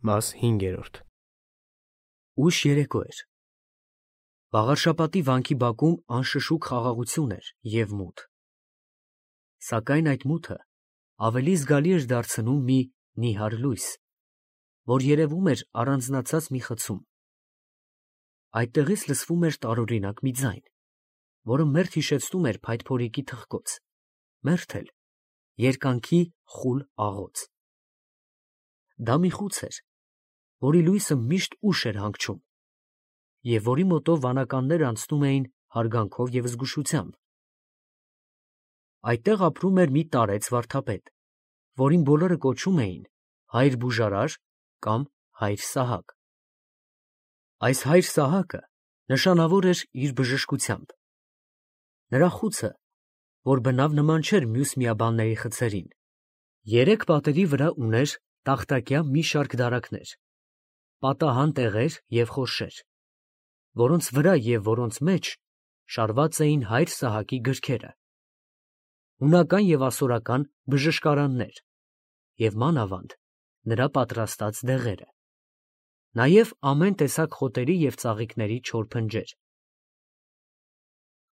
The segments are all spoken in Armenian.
Մաս 5. Ուշ երեկո էր։ Վաղարշապատի վանքի բակում անշշուկ խաղաղություն էր և մութ։ Սակայն այդ մութը ավելի զգալի էր դարձնում մի նիհար լույս, որ երևում էր առանձնացած մի խցում։ Այդտեղից լսվում էր տարօրինակ մի ձայն, որը մերթ հիշեցնում էր փայտփորիկի թխկոց, մերթ էլ երկանքի խուլ աղոց։ Դա մի խուց էր, որի լույսը միշտ ուշ էր հանգչում, և որի մոտով վանականները անցնում էին հարգանքով և զգուշությամբ։ Այդտեղ ապրում էր մի տարեց վարդապետ, որին բոլորը կոչում էին հայր Բուժարար կամ հայր Սահակ։ Այս հայր Սահակը նշանավոր էր իր բժշկությամբ։ Նրա խուցը, որ բնավ նման չէր մյուս միաբանների խցերին, երեք պատերի վրա ուներ տախտակյա մի շարք դարակներ, պատահան տեղեր և խորշեր, որոնց վրա և որոնց մեջ շարված էին հայր Սահակի գրքերը, հունական և ասորական բժշկարաններ և մանավանդ նրա պատրաստած դեղերը, նաև ամեն տեսակ խոտերի և ծաղիկների չոր փնջեր։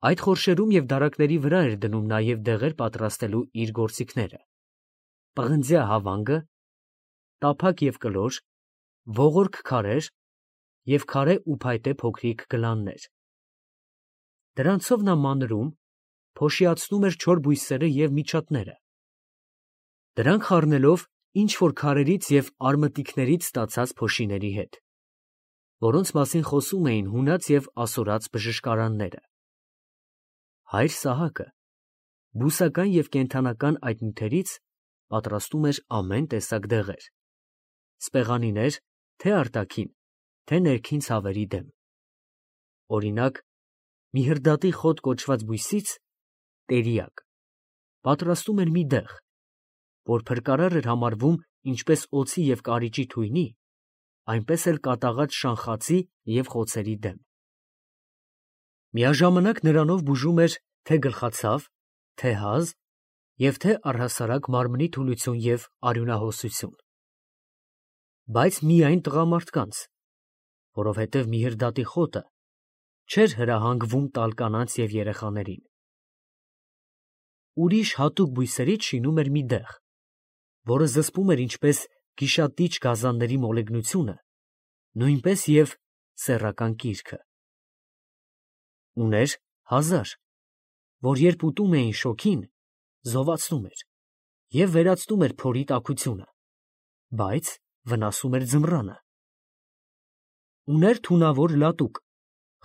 Այդ խորշերում և դարակների վրա էր դնում նաև դեղեր պատրաստելու իր գործիքները, պղնձյա հավանգը, տափակ և կլոր, ողորկ քարեր և քարե ու փայտե փոքրիկ գլաններ։ Դրանցով նա մանրում, փոշիացնում էր չոր բույսերը և միջատները, դրանք խառնելով ինչ֊որ քարերից և արմտիկներից ստացած փոշիների հետ, որոնց մասին խոսում էին հունած և ասորած բժշկարանները։ Հայր Սահակը բուսական և կենդանական այդ նյութերից պատրաստում էր ամեն տեսակ դեղեր, սպեղանիներ թե՛ արտաքին, թե՛ ներքին ցավերի դեմ։ Օրինակ, միհրդատի խոտ կոչված բույսից (տերիակ) պատրաստում էր մի դեղ, որ փրկարար էր համարվում ինչպես օձի և կարիճի թույնի, այնպես էլ կատաղած շանխածի և խոցերի դեմ։ Միաժամանակ նրանով բուժում էր թե՛ գլխացավ, թե՛ հազ և թե՛ առհասարակ մարմնի թուլություն և արյունահոսություն։ Բայց միայն տղամարդկանց, որովհետև միհրդատի խոտը չէր հրահանգվում տալ կանանց և երեխաներին։ Ուրիշ հատուկ բույսերից շինում էր մի դեղ, որը զսպում էր ինչպես գիշատիչ գազանների մոլեգնությունը, նույնպես և սեռական կիրքը։ Ուներ հազար, որ երբ ուտում էին շոգին, զովացնում էր և վերացնում էր փորի տաքությունը, բայց վնասում էր ձմռանը։ Ուներ թունավոր լատուկ,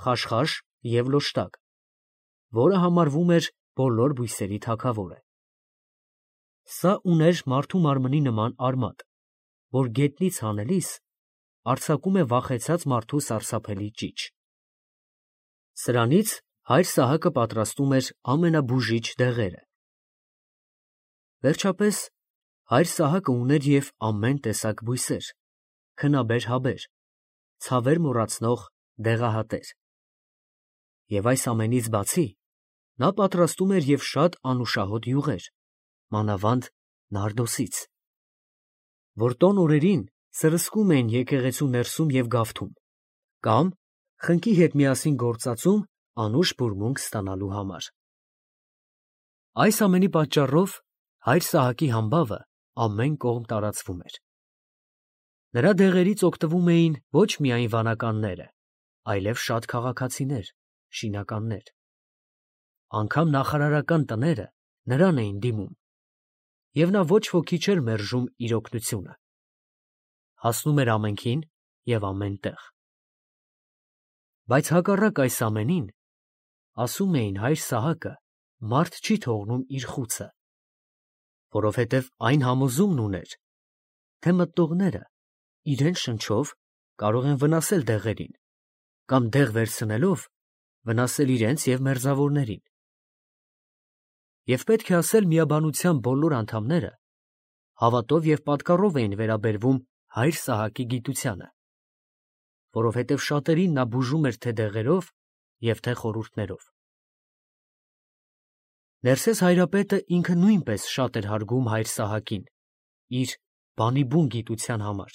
խաշխաշ և լոշտակ, որը համարվում էր բոլոր բույսերի թագավորը։ Սա ուներ մարդու մարմնի նման արմատ, որ գետնից հանելիս արձակում է վախեցած մարդու սարսափելի ճիչ։ Սրանից հայր Սահակը պատրաստում էր ամենաբուժիչ դեղերը։ Վերջապես հայր Սահակը ուներ և ամեն տեսակ բույսեր, քնաբեր֊հաբեր, ցավեր մոռացնող դեղահատեր։ Եվ այս ամենից բացի, նա պատրաստում էր և շատ անուշահոտ յուղեր, մանավանդ նարդոսից, որ տոն օրերին սրսկում էին եկեղեցու ներսում և գավթում, կամ խնկի հետ միասին գործածում անուշ բուրմունք ստանալու համար։ Այս ամենի պատճառով հայր Սահակի համբավը ամեն կողմ տարածվում էր։ Նրա դեղերից օգտվում էին ոչ միայն վանականները, այլև շատ քաղաքացիներ, շինականներ։ Անգամ նախարարական տները նրան էին դիմում, և նա ոչ ոքի չէր մերժում իր օգնությունը։ Հասնում էր ամենքին և ամեն տեղ։ Բայց հակառակ այս ամենին, ասում էին հայր Սահակը մարդ չի թողնում իր խուցը, որովհետև այն համոզումն ուներ, թե մտնողները իրենց շնչով կարող են վնասել դեղերին կամ դեղ վերցնելով վնասել իրենց և մերձավորներին։ Եվ պետք է ասել միաբանության բոլոր անդամները հավատով և պատկառով էին վերաբերվում հայր Սահակի գիտությանը, որովհետև շատերին նա բուժում էր թե դեղերով և թե խորհուրդներով։ Ներսես հայրապետը ինքը նույնպես շատ էր հարգում հայր Սահակին իր բանիբուն գիտության համար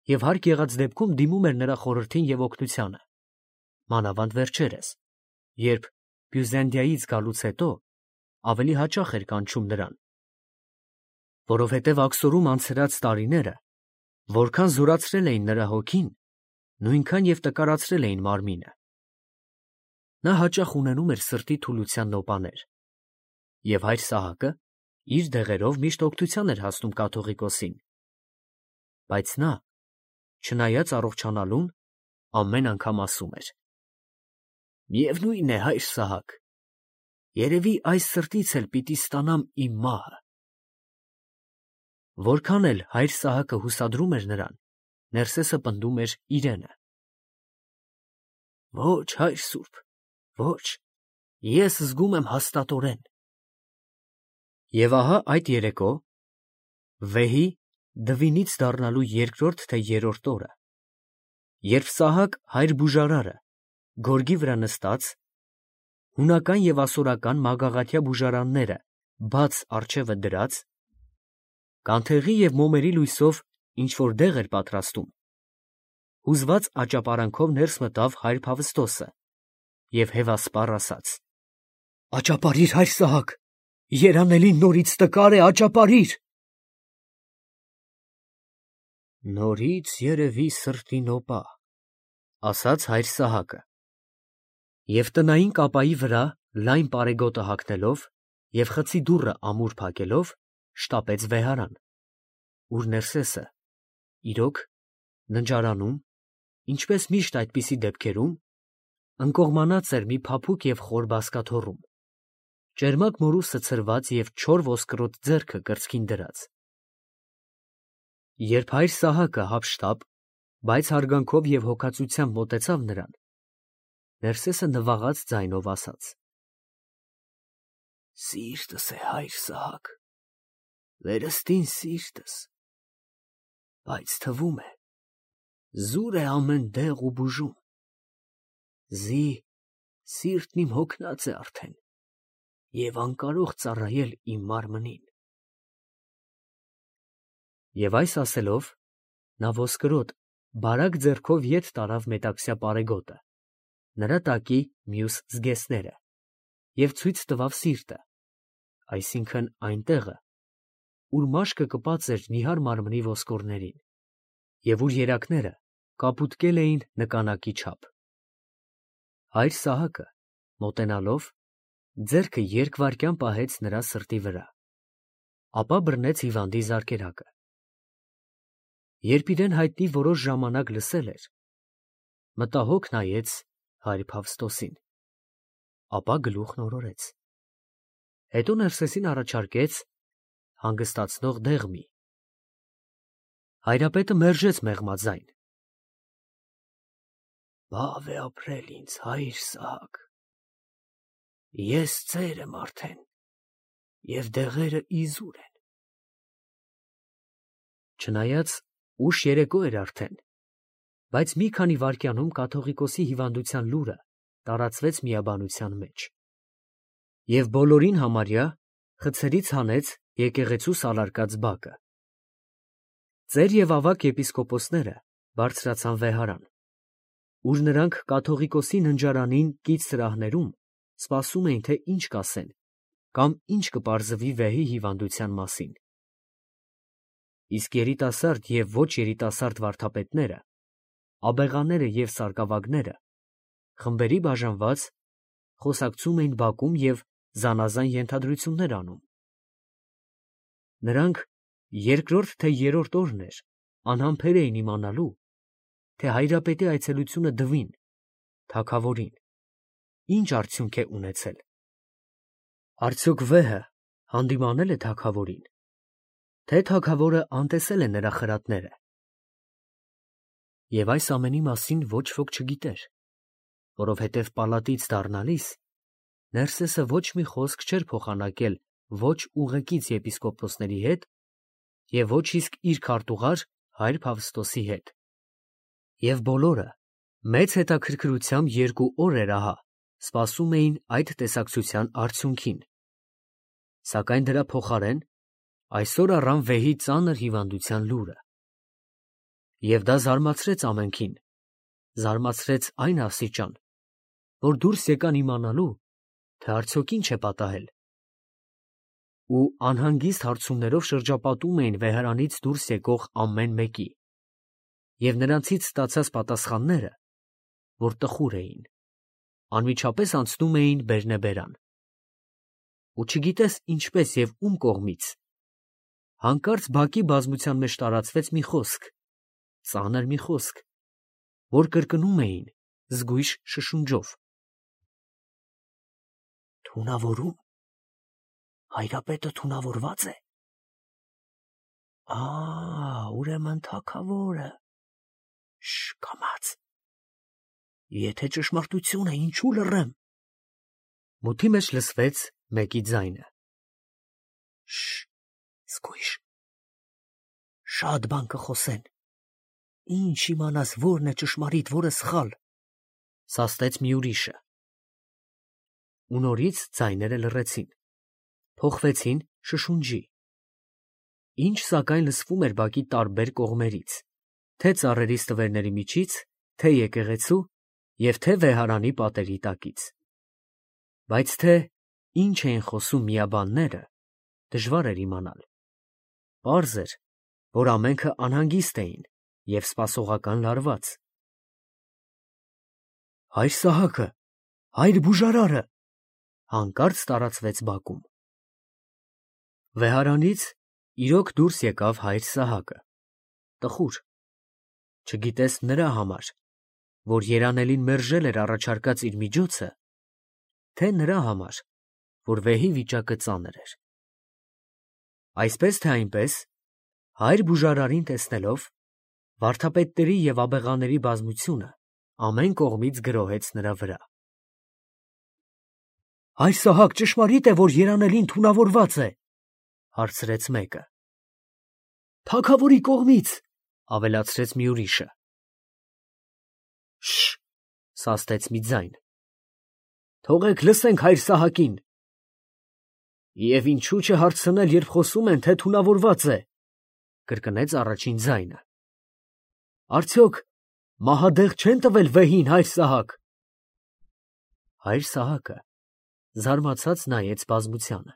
և հարկ եղած դեպքում դիմում էր նրա խորհրդին և օգնությանը, մանավանդ վերջերս, երբ Բյուզանդիայից գալուց հետո ավելի հաճախ էր կանչում նրան, որովհետև աքսորում անցրած տարիները որքան զորացրել էին նրա հոգին, նույնքան և տկարացրել էին մարմինը։ Նա հաճախ ունենում էր սրտի թուլության նոպաներ, և հայր Սահակը իր դեղերով միշտ օգնության էր հասնում կաթողիկոսին, բայց նա, չնայած առողջանալուն, ամեն անգամ ասում էր. «Միևնույն է, հայր Սահակ, երևի այս սրտից էլ պիտի ստանամ իմ մահը»։ Որքան էլ հայր Սահակը հուսադրում էր նրան, Ներսեսը պնդում էր իրենը. «Ոչ, հայր սուրբ, ոչ, ես զգում եմ հաստատորեն»։ Եվ ահա այդ երեկո, վեհի դվինից դառնալու երկրորդ թե երրորդ օրը, երբ Սահակ հայր բուժարարը գորգի վրա նստած, հունական և ասորական մագաղաթյա բուժարանները բաց առջևը դրած, կանթեղի և մոմերի լույսով ինչ-որ դեղ էր պատրաստում, հուզված աճապարանքով ներս մտավ հայր Փավստոսը և հևասպառ ասաց. «Աճապարիր, հայր Սահակ, երանելին նորից տկար է, աճապարիր»։ «Նորից երևի սրտի նոպա», ասաց հայր Սահակը, և տնային կապայի վրա լայն պարեգոտը հագնելով և խցի դուռը ամուր փակելով, շտապեց վեհարան, ուր Ներսեսը, իրոք, ննջարանում, ինչպես միշտ այդպիսի դեպքերում, ընկողմանած էր մի փափուկ և խոր բազկաթոռում, ճերմակ մորուսը ցրված և չոր ոսկրոտ ձեռքը կրծքին դրած։ Երբ հայր Սահակը հափշտապ, բայց հարգանքով և հոգածությամբ մոտեցավ նրան, Ներսեսը նվաղած ձայնով ասաց. «Սիրտս է, հայր Սահակ, վերստին սիրտս, բայց թվում է, զուր է ամեն դեղ ու բուժում, զի սիրտն իմ հոգնած է արդեն և անկարող ծառայել իմ մարմնին»։ Եվ այս ասելով, նա ոսկրոտ, բարակ ձեռքով ետ տարավ մետաքսյա պարեգոտը, նրա տակի մյուս զգեստները, և ցույց տվավ սիրտը, այսինքն այն տեղը, ուր մաշկը կպած էր նիհար մարմնի ոսկորներին, և ուր երակները կապուտկել էին նկանակի չափ։ Հայր Սահակը, մոտենալով, ձեռքը երկվայրկյան պահեց նրա սրտի վրա, ապա բռնեց հիվանդի զարկերակը։ Երբ իրեն հայտնի որոշ ժամանակ լսել էր, մտահոգ նայեց հայր Փավստոսին, ապա գլուխն օրորեց, հետո Ներսեսին առաջարկեց հանգստացնող դեղմի։ Հայրապետը մերժեց մեղմաձայն. «Բավ է ապրել ինձ, հայր Սահակ, ես ծեր եմ արդեն, և դեղերը իզուր են»։ Չնայած ուշ երեկո էր արդեն, բայց մի քանի վայրկյանում կաթողիկոսի հիվանդության լուրը տարածվեց միաբանության մեջ, և բոլորին համարյա խցերից հանեց եկեղեցու սալարկած բակը։ Ծեր և ավագ եպիսկոպոսները բարձրացան վեհարան, ուր նրանք կաթողիկոսի ննջարանին կից սրահներում սպասում էին, թե ինչ կասեն կամ ինչ կպարզվի վեհի հիվանդության մասին։ Իսկ երիտասարդ և ոչ երիտասարդ վարդապետները, աբեղաները և սարկավագները, խմբերի բաժանված, խոսակցում էին բակում և զանազան ենթադրություններ անում։ Նրանք երկրորդ թե երրորդ օրն էր անհամբեր էին իմանալու, թե հայրապետի այցելությունը Դվին, թագավորին, ինչ արդյունք է ունեցել. արդյոք վեհը հանդիմանե՞լ է թագավորին, թե թագավորը անտեսել է նրա խրատները։ Եվ այս ամենի մասին ոչ ոք չգիտեր, որովհետև պալատից դառնալիս Ներսեսը ոչ մի խոսք չէր փոխանակել ոչ ուղեկից եպիսկոպոսների հետ և ոչ իսկ իր քարտուղար հայր Փավստոսի հետ, և բոլորը մեծ հետաքրքրությամբ 2 օրեր ահա սպասում էին այդ տեսակցության արդյունքին, սակայն դրա փոխարեն այսօր առան վեհի ծանր հիվանդության լուրը։ Եվ դա զարմացրեց ամենքին, զարմացրեց այն աստիճան, որ դուրս եկան իմանալու, թե արդյոք ինչ է պատահել։ Ու անհանգիստ հարցումներով շրջապատում էին վեհարանից դուրս եկող ամեն մեկի, և նրանցից ստացած պատասխանները, որ տխուր էին, անմիջապես անցնում էին բերնեբերան։ Ու չգիտես ինչպես և ում կողմից, հանկարծ բակի բազմության մեջ տարածվեց մի խոսք, ծանր մի խոսք, որ կրկնում էին զգույշ շշունջով. «Թունավորում, հայրապետը թունավորված է, ուրեմն թագավորը, կամաց, եթե ճշմարտություն է, ինչու լռեմ»։ Մութի մեջ լսվեց մեկի ձայնը. զգույշ, շատ բան կխոսեն, ինչ իմանաս որն է ճշմարիտ, որը սխալ, սաստեց մի ուրիշը։ Ու նորից ձայները լռեցին, փոխվեցին շշունջի։ Ինչ սակայն լսվում էր բակի տարբեր կողմերից, թե ծառերի ստվերների միջից, թե եկեղեցու և թե վեհարանի պատերի տակից։ Բայց թե ինչ էին խոսում միաբանները, դժվար էր իմանալ։ Պարզ էր, որ ամենքը անհանգիստ էին և սպասողական լարված։ «Հայր Սահակը, հայր բուժարարը», հանկարծ տարածվեց բակում։ Վեհարանից իրոք դուրս եկավ հայր Սահակը, տխուր, չգիտես նրա համար, որ երանելին մերժել էր առաջարկած իր միջոցը, թե նրա համար, որ վեհի վիճակը ծանր էր։ Այսպես թե այնպես, հայր բուժարարին տեսնելով, վարդապետների և աբեղաների բազմությունը ամեն կողմից գրոհեց նրա վրա։ «Հայր Սահակ, ճշմարիտ է, որ երանելին թունավորված է», հարցրեց մեկը։ «Թագավորի կողմից», ավելացրեց մի ուրիշը։ Սաստեց մի ձայն։ «Թողեք լսենք հայր Սահակին»։ «Եվ ինչու չհարցնել, երբ խոսում են, թե թունավորված է», կրկնեց առաջին ձայնը։ «Արդյոք մահադեղ չեն տվել վեհին, հայր Սահակ»։ Հայր Սահակը զարմացած նայեց բազմությանը։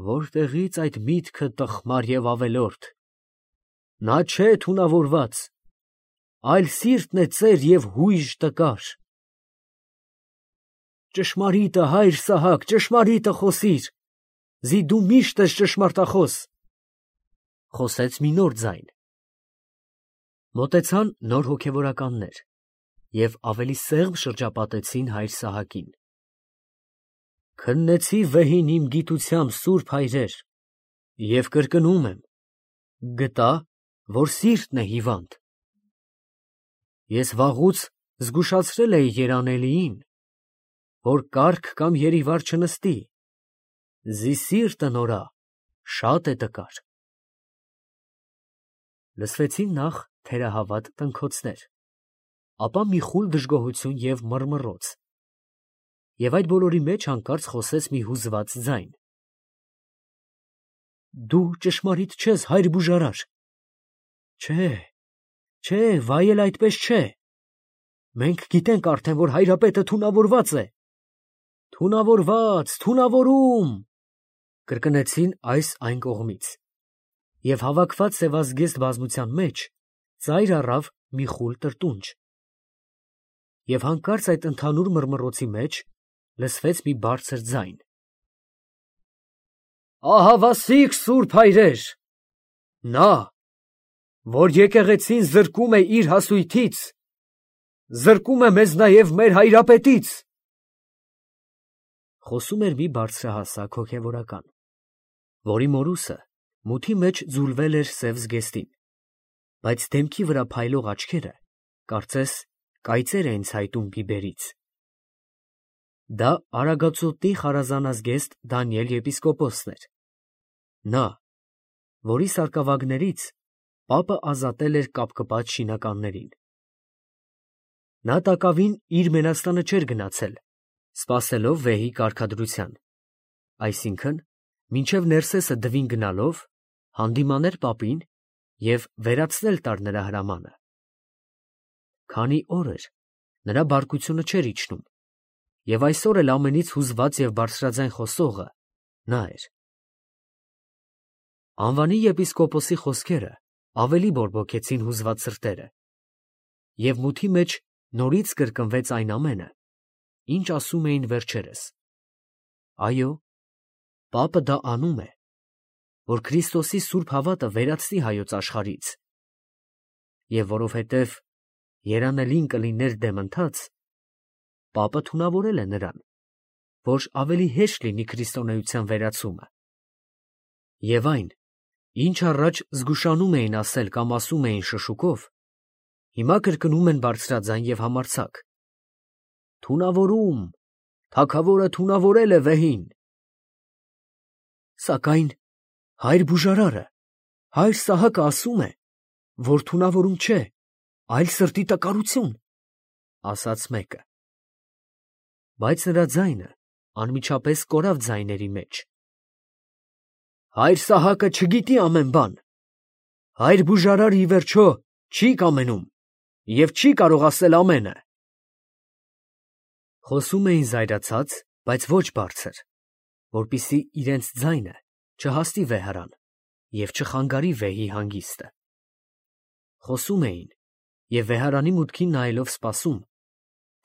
«Որտեղից այդ միտքը տխմար և ավելորդ, նա չէ թունավորված, այլ սիրտն է ծեր և հույժ տկար»։ «Ճշմարիտը, հայր Սահակ, ճշմարիտը խոսիր, զի դու միշտ ես ճշմարտախոս», խոսեց մի նոր ձայն։ Մոտեցան նոր հոգևորականներ և ավելի սեղմ շրջապատեցին հայր Սահակին։ «Քննեցի վեհին իմ գիտությամբ, սուրբ հայրեր, և կրկնում եմ, գտա, որ սիրտն է հիվանդ։ Ես վաղուց զգուշացրել էի երանելիին, որ կառք կամ երիվար չնստի, զի սիրտը նորա շատ է տկար»։ Լսվեցին նախ թերահավատ տնքոցներ, ապա մի խուլ դժգոհություն և մռմռոց, և այդ բոլորի մեջ հանկարծ խոսեց մի հուզված ձայն. «Դու ճշմարիտ չես, հայր բուժարար»։ Չէ, վայ էլ այդպես չէ։ Մենք գիտենք արդեն, որ հայրապետը թունավորված է։ Թունավորում, կրկնեցին այս այն կողմից, և հավաքված սևազգեստ բազմության մեջ ծայր առավ մի խուլ տրտունջ։ Եվ հանկարծ այդ ընդհանուր մռմռոցի մեջ լսվեց մի բարձր ձայն. «Ահավասիկ սուրբ հայրեր, նա, որ եկեղեցին զրկում է իր հասույթից, զրկում է մեզ նաև մեր հայրապետից»։ Խոսում էր մի բարձրահասակ հոգևորական, որի մորուսը մութի մեջ ձուլվել էր սև զգեստին, բայց դեմքի վրա փայլող աչքերը, կարծես, կայծեր էին ցայտում բիբերից։ Դա Արագածոտնի խարազանազգեստ Դանիել եպիսկոպոսն էր, նա, որի սարկավագներից պապը ազատել էր կապկպած շինականներին։ Նա տակավին իր մենաստանը չէր գնացել, սպասելով վեհի կարգադրության, այսինքն, մինչև Ներսեսը դվին գնալով, հանդիմաներ պապին և վերացնել տար նրա հրամանը։ Քանի օր էր, նրա բարկությունը չէր իջնում, և այսօր էլ ամենից հուզված և բարձրաձայն խոսողը նա էր։ Անվանի եպիսկոպոսի խոսքերը ավելի բորբոքեցին հուզված սրտերը, և մութի մեջ նորից կրկնվեց այն ամենը, ինչ ասում էին վերջերս. այո, պապը դա անում է, որ Քրիստոսի սուրբ հավատը վերացնի հայոց աշխարհից, և որովհետև երանելին կլիներ դեմ ընթաց, պապը թունավորել է նրան, որ ավելի հեշտ լինի քրիստոնեության վերացումը։ Եվ այն, ինչ առաջ զգուշանում էին ասել կամ ասում էին շշուկով, հիմա կրկնում են բարձրաձայն և համարձակ. «Թունավորում, թագավորը թունավորել է վեհին»։ Սակայն հայր բուժարարը, հայր Սահակը ասում է, որ թունավորում չէ, այլ սրտի տկարություն, ասաց մեկը։ Բայց նրա ձայնը անմիջապես կորավ ձայների մեջ։ Հայր Սահակը չգիտի ամեն բան, հայր բուժարարը ի վերջո չի կամենում և չի կարող ասել ամենը։ Խոսում էին զայրացած, բայց ոչ բարձր, որպեսզի իրենց ձայնը չհասնի վեհարան և չխանգարի վեհի հանգիստը։ Խոսում էին և վեհարանի մուտքին նայելով սպասում,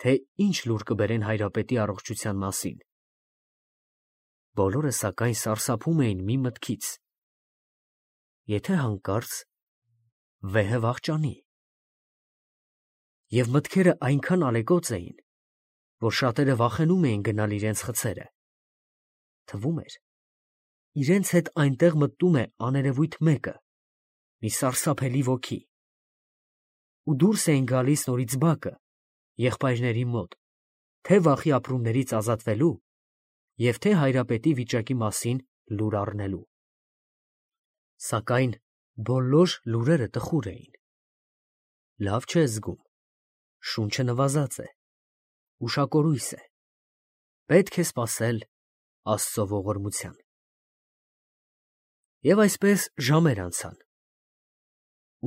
թե ինչ լուր կբերեն հայրապետի առողջության մասին։ Բոլորը սակայն սարսափում էին մի մտքից. եթե հանկարծ վեհը վախճանի։ Եվ մտքերը այնքան ալեկոծ էին, որ շատերը վախենում էին գնալ իրենց խցերը։ Թվում էր, իրենց հետ այնտեղ մտնում է աներևույթ մեկը, մի սարսափելի ոգի, ու դուրս էին գալիս նորից բակը, եղբայրների մոտ, թե վախի ապրումներից ազատվելու և թե հայրապետի վիճակի մասին լուր առնելու։ Սակայն բոլոր լուրերը տխուր էին։ Լավ չէ զգում, շունչը նվազած է, ուշակորույս է, պետք է սպասել Աստծո ողորմության։ Եվ այսպես ժամեր անցան։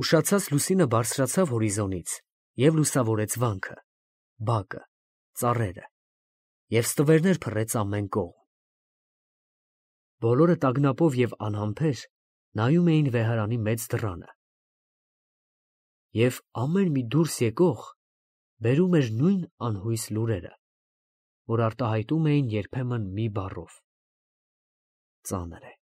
Ուշացած լուսինը բարձրացավ հորիզոնից և լուսավորեց վանքը, բակը, ծառերը, և ստվերներ փռեց ամեն կողմ։ Բոլորը տագնապով և անհամբեր նայում էին վեհարանի մեծ դռանը։ Եվ ամեն մի դուրս եկող բերում էր նույն անհույս լուրերը, որ արտահայտում էին երբեմն մի բառով. ծանր է։